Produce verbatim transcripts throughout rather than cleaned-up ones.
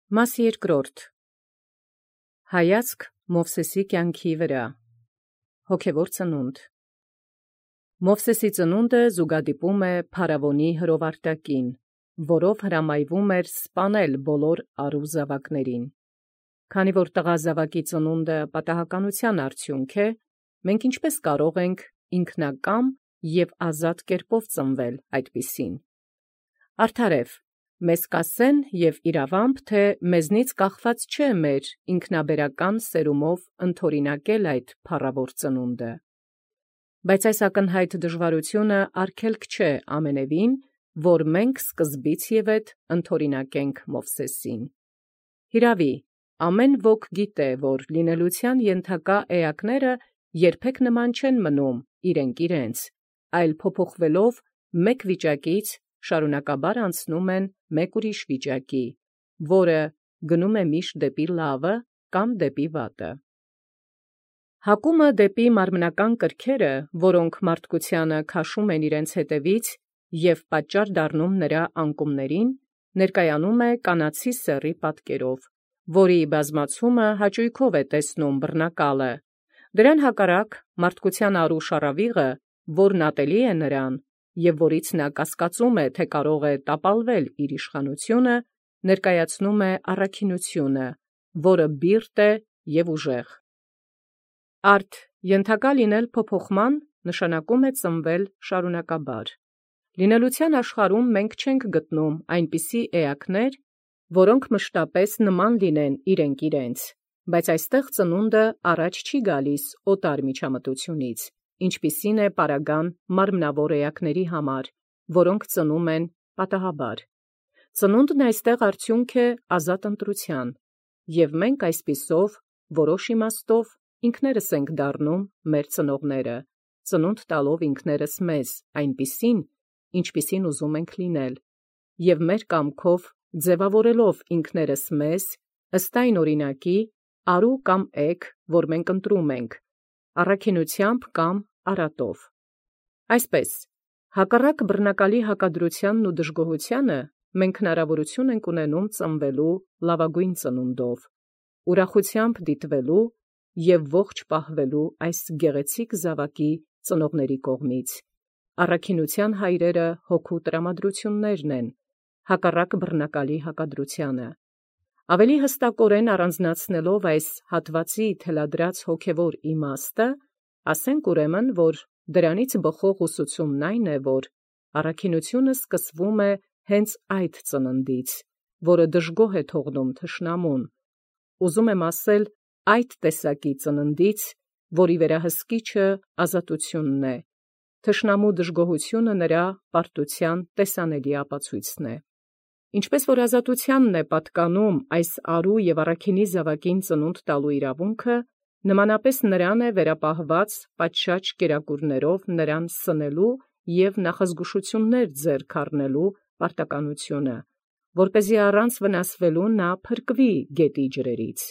Մաս երկրորդ. Հայացք Մովսեսի կյանքի վրա. հոգևոր ծնունդ։ Մովսեսի ծնունդը զուգադիպում է Փարավոնի հրովարտակին, որով հրամայվում էր սպանել բոլոր առու զավակներին։ Քանի որ տղա զավակի ծնունդը պատահականության արդյունք է, մենք ինչպես կարող ենք ինքնակամ և ազատ կերպով ծնվել այդպիսին։ Արդարև, մեզ կասեն և իրավամբ, թե մեզնից կախված չէ մեր ինքնաբերական սերումով ընդօրինակել այդ փառավոր ծնունդը։ Բայց այս ակնհայտ դժվարությունը արգելք չէ ամենևին, որ մենք սկզբից և ետ ընդօրինակենք Մովսեսին։ Հիրավի, ամեն ոք գիտե, որ լինելության ենթակա էակները երբեք նման չեն մնում իրենք իրենց, այլ փոփոխվելով մեկ վիճակից շարունակաբար անցնում են մեկ ուրիշ վիճակի, որը գնում է միշտ դեպի լավը կամ դեպի վատը։ Հակումը դեպի մարմնական կրքերը, որոնք մարդկությանը քաշում են իրենց հետևից և պատճառ դառնում նրա անկումներին, ներկայանում է կանացի սեռի պատկերով, որի բազմացումը հաճույքով է տեսնում բռնակալը։ Դրան հակառակ մարդկության առու շառավիղը, որն ատելի է նրան, և որից նա կասկածում է, թե կարող է տապալվել իր իշխանությունը, ներկայացնում է առաքինությունը, որը բիրտ է և ուժեղ։ Արդ ենթակա լինել փոփոխման նշանակում է ծնվել շարունակաբար։ Լինելության աշխարհում մենք չենք գտնում այնպիսի էակներ, որոնք մշտապես նման լինեն իրենք իրենց, բայց այստեղ ծնունդը առաջ չի գալիս օտար միջամտությունից, ինչպիսին է պարագան մարմնավոր էակների համար, որոնք ծնում են պատահաբար։ Ծնունդն այստեղ արդյունք է ազատ ընտրության, և մենք այսպիսով որոշ իմաստով ինքներս ենք դառնում մեր ծնողները, ծնունդ տալով ինքներս մեզ այնպիսին, ինչպիսին ուզում ենք լինել, և մեր կամքով ձևավորելով ինքներս մեզ ըստ այն օրինակի, արու կամ էգ, որ մենք ընտրում ենք, առաքինությամբ կամ արատով։ Այսպես, հակառակ բռնակալի հակադրությանն ու դժգոհությանը, մենք հնարավորություն ենք ունենում ծնվելու լավագույն ծնունդով, ուրախությամբ դիտվելու և ողջ պահվելու այս գեղեցիկ զավակի ծնողների կողմից։ Առաքինության հայրերը հոգու տրամադրություններն են, հակառակ բռնակալի հակադրությանը։ Ավելի հստակորեն առանձնացնելով այս հատվածի թելադրած հոգևոր իմաստը, ասենք ուրեմն, որ դրանից բխող ուսուցումն այն է, որ առաքինությունը սկսվում է հենց այդ ծննդից, որը դժգոհ է թողնում թշնամուն, ուզում եմ ասել այդ տեսակի ծննդից, որի վերահսկիչը ազատությունն է, թշնամու դժգոհությունը նրա պարտության տեսանելի ապացույցն է։ Ինչպես որ ազատությանն է պատկանում այս արու և առաքինի զավակին ծնունդ տալու իրավունքը, նմանապես նրան է վերապահված պատշաճ կերակուրներով նրան սնելու և նախազգուշություններ ձեռք առնելու պարտականությունը, որպեսզի առանց վնասվելու նա փրկվի գետի ջրերից։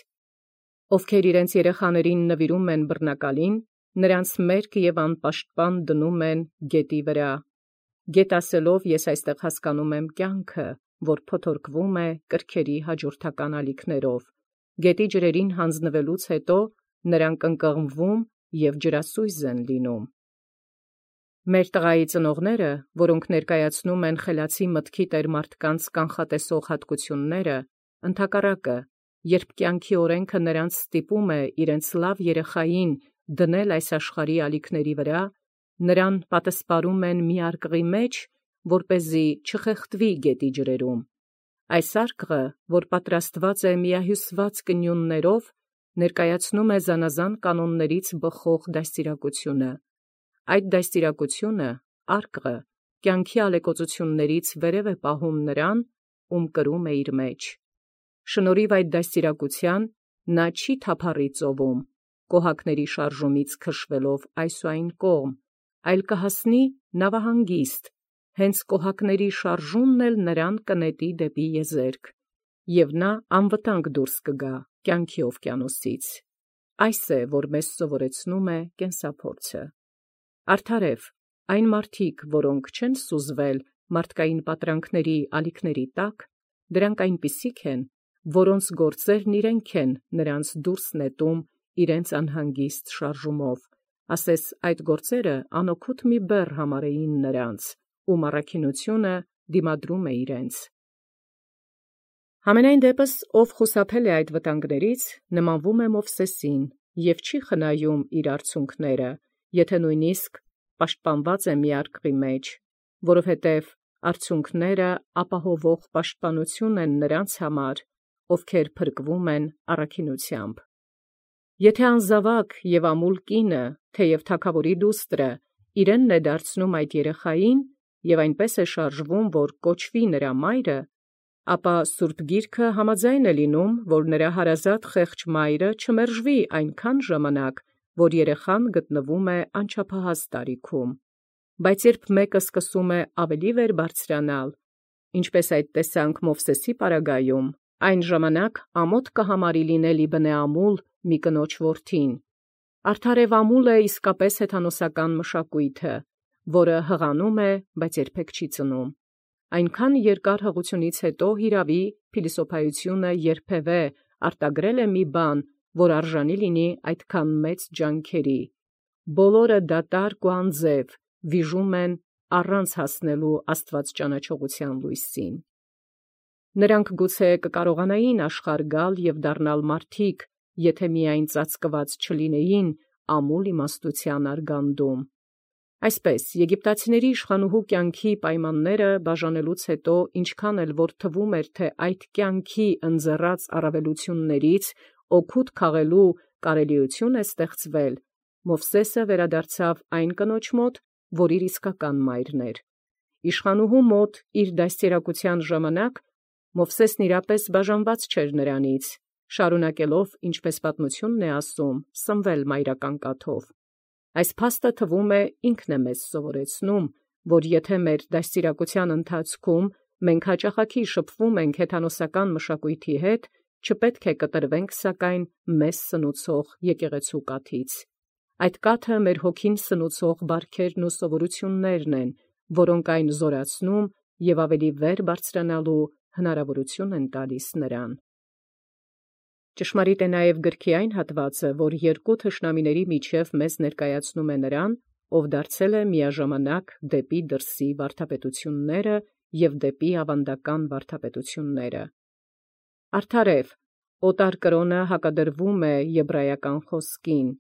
Ովքեր իրենց երեխաներին նվիրում են բռնակալին, նրանց մերկ և անպաշտպան դնում են գետի վրա։ Գետ ասելով ես այստեղ հասկանում եմ կյանքը, որ փոթորկվում է կրքերի հաջորդական ալիքներով։ Գետի ջրերին հանձնվելուց հետո նրանք ընկղմվում և ջրասույզ են լինում։ Մեր տղայի ծնողները, որոնք ներկայացնում են խելացի մտքի տերմարդկանց կանխատեսող հատկությունները, ընդհակառակը, երբ կյանքի օրենքը նրանց ստիպում է իրենց լավ երեխային դնել այս աշխարհի ալիքների վրա, նրան պատսպարում են մի արկղի մեջ, որպեսզի չխեղդվի գետի ջրերում։ Այս արկղը, որ պատրաստված է միահյուսված կնյուններով, ներկայացնում է զանազան կանոններից բխող դաստիարակությունը։ Այդ դաստիարակությունը, արկղը, կյանքի ալեկոծություններից վերև է պահում նրան, ում կրում է իր մեջ։ Շնորհիվ այդ դաստիարակության նա չի թափառի ծովում, կոհակների շարժումից քշվելով այս ու այն կողմ, այլ կհասնի նավահանգիստ, հենց կոհակների շարժումն էլ նրան կնետի դեպի եզերք, և նա անվտանգ դուրս կգա կյանքի օվկիանոսից։ Այս է, որ մեզ սովորեցնում է կենսափորձը։ Արդարև, այն մարդիկ, որոնք չեն սուզվել մարդկային պատրանքների ալիքների տակ, դրանք այնպիսիք են, որոնց գործերն իրենք են նրանց դուրս նետում իրենց անհանգիստ շարժումով, ասես այդ գործերը անօգուտ մի բեռ համարեին նրանց, ում առաքինությունը դիմադրում է իրենց։ Համենայն դեպս, ով խուսափել է այդ վտանգներից, նմանվում է Մովսեսին և չի խնայում իր արցունքները, եթե նույնիսկ պաշտպանված է մի արկղի մեջ, որովհետև արցունքները ապահովող պաշտպանություն են նրանց համար, ովքեր փրկվում են առաքինությամբ։ Եթե անզավակ և ամուլ կինը, թեև թագավորի դուստրը, իրենն է դարձնում այդ երեխային և այնպես է շարժվում, որ կոչվի նրա մայրը, ապա Սուրբ Գիրքը համաձայն է լինում, որ նրա հարազատ խեղճ մայրը չմերժվի այնքան ժամանակ, որ երեխան գտնվում է անչափահաս տարիքում։ Բայց երբ մեկը սկսում է ավելի վեր բարձրանալ, ինչպես այդ տեսանք Մովսեսի պարագայում, այն ժամանակ ամոթ կհամարի լինել ի բնե ամուլ մի կնոջ որդին։ Արդար և ամուլ է իսկապես հեթանոսական մշակույթը, որը հղանում է, բայց երբեք չի ծնում։ Այնքան երկար հղությունից հետո հիրավի փիլիսոփայությունը երբևէ արտագրել է մի բան, որ արժանի լինի այդքան մեծ ջանքերի։ Բոլորը դատարկ ու անձև վիժում են առանց հասնելու աստվածճանաչողության լույսին։ Նրանք գուցե կկարողանային աշխարհ գալ և դառնալ մարդիկ, եթե միայն ծածկված չլինեին ամուլ իմաստության արգանդում։ Այսպես, եգիպտացիների իշխանուհու կյանքի պայմանները բաժանելուց հետո, ինչքան էլ որ թվում էր, թե այդ կյանքի ընձեռած առավելություններից օգուտ քաղելու կարելիություն է ստեղծվել, Մովսեսը վերադարձավ այն կնոջ մոտ, որ իր իսկական մայրն էր։ Իշխանուհու մոտ իր դաստիարակության ժամանակ Մովսեսն իրապես բաժանված չէր նրանից, շարունակելով, ինչպես պատմությունն է ասում, սնվել մայրական կաթով։ Այս փաստը թվում է ինքն է մեզ սովորեցնում, որ եթե մեր դաստիարակության ընթացքում մենք հաճախակի շփվում ենք հեթանոսական մշակույթի հետ, չպետք է կտրվենք սակայն մեզ սնուցող եկեղեցու կաթից։ Այդ կաթը մեր հոգին սնուցող բարքերն ու սովորություններն են, որոնք այն զորացնում և ավելի վեր բարձրանալու հնարավորություն են տալիս նրան։ Ճշմարիտ է նաև գրքի այն հատվածը, որ երկու թշնամիների միջև մեզ ներկայացնում է նրան, ով դարձել է միաժամանակ դեպի դրսի վարդապետությունները և դեպի ավանդական վարդապետությունները։ Արդարև, օտար կրոնը հակադրվում է եբրայական խոսքին,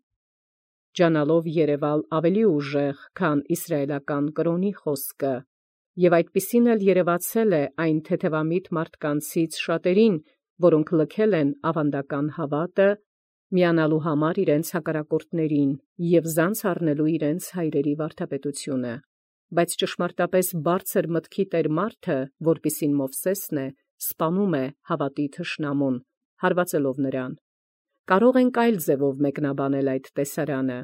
ջանալով երևալ ավելի ուժեղ, քան իսրայելական կրոնի խոսքը, և այդպիսին էլ երևացել է այն թեթևամիտ մարդկանցից շատերին, որոնք լքել են ավանդական հավատը, միանալու համար իրենց հակառակորդներին և զանց առնելու իրենց հայրերի վարդապետությունը։ Բայց ճշմարտապես բարձր մտքի տեր մարդը, որպիսին Մովսեսն է, սպանում է հավատի թշնամուն, հարվածելով նրան։ Կարող ենք այլ ձևով մեկնաբանել այդ տեսարանը։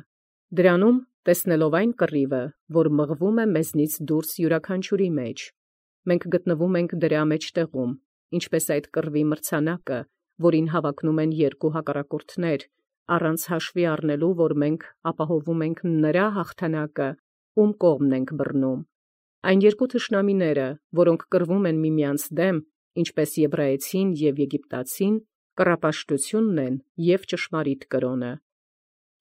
Դրանում տեսնելով այն կռիվը, որ մղվում է մեզնից դուրս յուրաքանչյուրի մեջ, մենք գտնվում ենք դրա մեջտեղում, ինչպես այդ կռվի մրցանակը, որին հավակնում են երկու հակառակորդներ, առանց հաշվի առնելու, որ մենք ապահովում ենք նրա հաղթանակը, ում կողմն ենք բռնում։ Այն երկու թշնամիները, որոնք կռվում են միմյանց դեմ, ինչպես եբրայեցին և եգիպտացին, կռապաշտությունն են և ճշմարիտ կրոնը,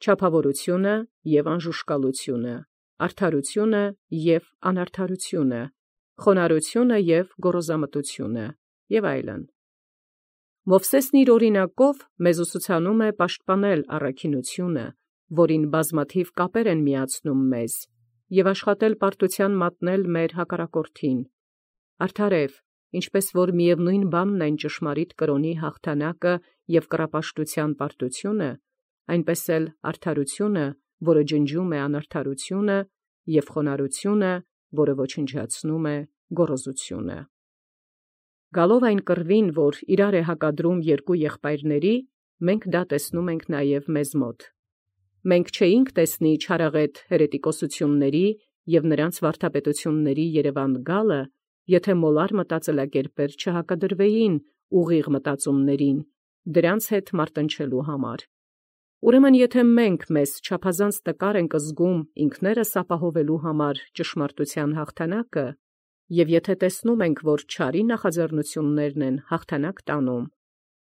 չափավորությունը և անժուշկալությունը, արդարությունը և անարդարությունը, խոնարհությունը և գոռոզամտությունը և այլն։ Մովսեսն իր օրինակով մեզ ուսուցանում է պաշտպանել առաքինությունը, որին բազմաթիվ կապեր են միացնում մեզ, և աշխատել պարտության մատնել մեր հակառակորդին։ Արդարև, ինչպես որ միևնույն բանն են ճշմարիտ կրոնի հաղթանակը և կռապաշտության պարտությունը, այնպես էլ արդարությունը, որը ջնջում է անարդարությունը, և խոնարհությունը, որը ոչնչացնում է գոռոզությունը։ Գալով այն կռվին, որ իրար է հակադրում երկու եղբայրների, մենք դա տեսնում ենք նաև մեզ մոտ։ Մենք չէինք տեսնի չարաղետ հերետիկոսությունների և նրանց վարդապետությունների երևան գալը, եթե մոլար մտածելակերպեր չհակադրվեին ուղիղ մտածումներին, դրանց հետ մարտնչելու համար։ Ուրեմն եթե մենք մեզ չափազանց տկար ենք զգում ինքներս ապահովելու համար ճշմարտության հաղթանակը, և եթե տեսնում ենք, որ չարի նախաձեռնություններն են հաղթանակ տանում,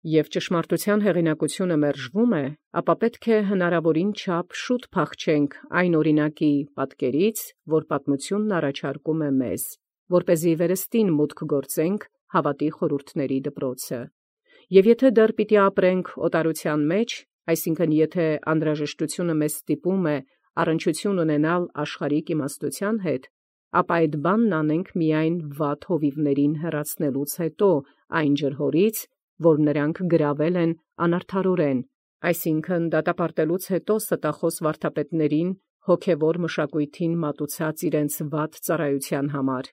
Եւ ճշմարտութեան հեղինակությունը մերժվում է, ապա պետք է հնարաւորին չափ շուտ փախչենք այն օրինակի պատկերից, որ պատմությունն առաջարկում է մեզ, որպեսզի վերստին մուտք գործենք հաւատի խորհուրդների դպրոցը։ Եւ եթէ դեռ պիտի ապրենք օտարութեան մեջ, այսինքն եթէ անհրաժեշտությունը մեզ ստիպում է առնչություն ունենալ աշխարհիկ իմաստութեան հետ, ապա այդ բանն անենք միայն վատ հովիւներին հեռացնելուց հետո այն ջրհորից, որ նրանք գրավել են անարդարորեն, այսինքն դատապարտելուց հետո ստախոս վարդապետներին հոգևոր մշակույթին մատուցած իրենց վատ ծառայութեան համար։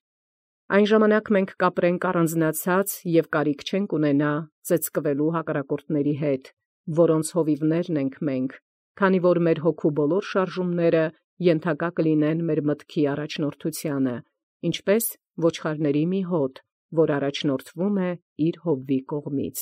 Այն ժամանակ մենք կապրենք առանձնացած եւ կարիք չենք ունենա ծեծկվելու հակառակորդների հետ, որոնց հովիւներն ենք մենք, քանի որ մեր հոգու բոլոր շարժումները ենթակա կլինեն մեր մտքի առաջնորդութեանը, ինչպէս ոչխարների մի հոտ, որ առաջնորդվում է իր հովվի կողմից։